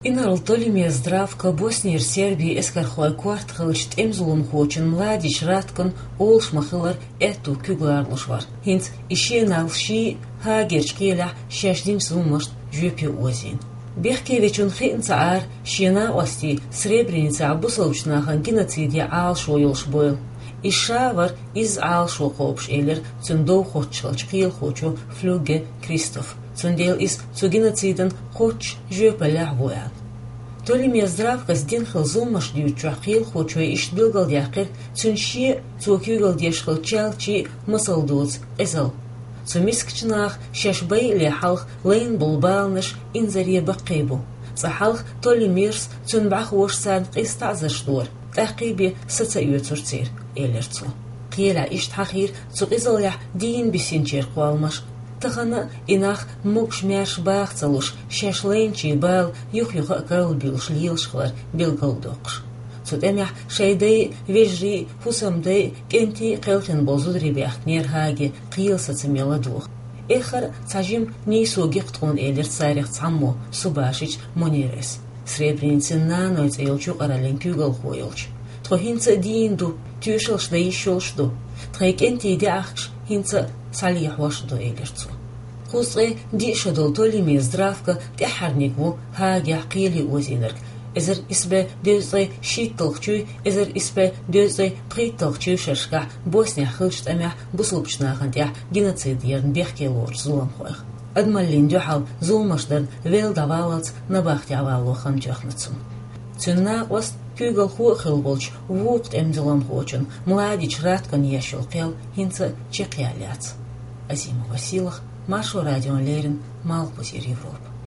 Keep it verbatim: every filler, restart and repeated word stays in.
Инарла Толимир Здравко Боснера сербийн эскархойн корта хиллачу тӀеман зуламхочун Младич Раткон олуш ма-хиллара аьтту куьг лоруш вара. ХӀинца и шен нах ший Гаагерчу кхелехь шаьш динчу зуламашна жоьпе озийна. Бехке вечунна хиъна ца Ӏара шен накъостий Сребреницехь бусалбачу нахана геноциде Ӏалашо йолуш бойла. Иза ша а вара изза Ӏалашо кхобуш, элира цуьнан дов хоттуш хиллачу кхелахочо Флюгге Кристофа. Цундела иза цу геноцидана кхоччуш жоьпаллехь а ву аьлла. Толимир Здравкос дина хилла зуламаш дуьйцучохь кхелахочо иштта билгалдаьккхира цуьнан шен а, цо куьйгалла деш хиллачу чалчийн а масал доцу къизалла. Цу мискачу наха шаьш байале хьалха лайна болу баланаш инзаре баккхий бу. Цкъа хьалха Толимирс, цуьнан бӀаьхоша царна къиза таӀзарш дора, тӀаккхий бен са ца оьцура церан, элира цо. Кхелехь иштта хьахийра цу къизаллехь дийна бисинчеран кхолламаш. Тахана а и нах могуш-маьрша баха ца луш, шаьш лайначийн бала юх-юха а карладуьйлуш лелаш хилар билгалдоккхуш. Цу тӀамехь шайн дай а, вежарий а, хӀусамдай а, кӀентий а кхелхина болу зударий баьхкинера Гааге кхелан сацаме ладогӀа. Эххар а цхьа жима нийсо гира тхуна, элира царех цхьаммо, Субашич Мунирас, Сребреницин «Наной» цӀе йолчу юкъараллин куьйгалхо йолчу. Тхо хӀинца а дийна ду, тоьшаллаш дан йиш йолуш а ду. Тхайн кӀентий де ахкаш хӀинца а схьалехьош а ду, элира цо. Кхузткъе диъ шо долу Толимир Здравко тӀаьххьарниг ву Гаагехь кхеле озийнарг. Эзар исс бӀе дезткъе шийтталгӀачуй, эзар исс бӀе дезткъе пхийтталгӀачуй шерашкахь Боснехь хиллачу тӀамехь бусалбачу нахана тӀехь геноцид ярна бехке лоручу зуламхойх. Адамаллина дуьхьал зуламаш дарна велла дӀаваллалц набахтехь валло хан тоьхна цунна. Цуьнан накъост куьйгалхо а хилла волчу вукху тӀеман зуламхочун Младич Раткона еш йолу кхел хӀинца а чекхъяьлла яц. Азима Василах, Маршо радиона леррина, Малхбузера Европа.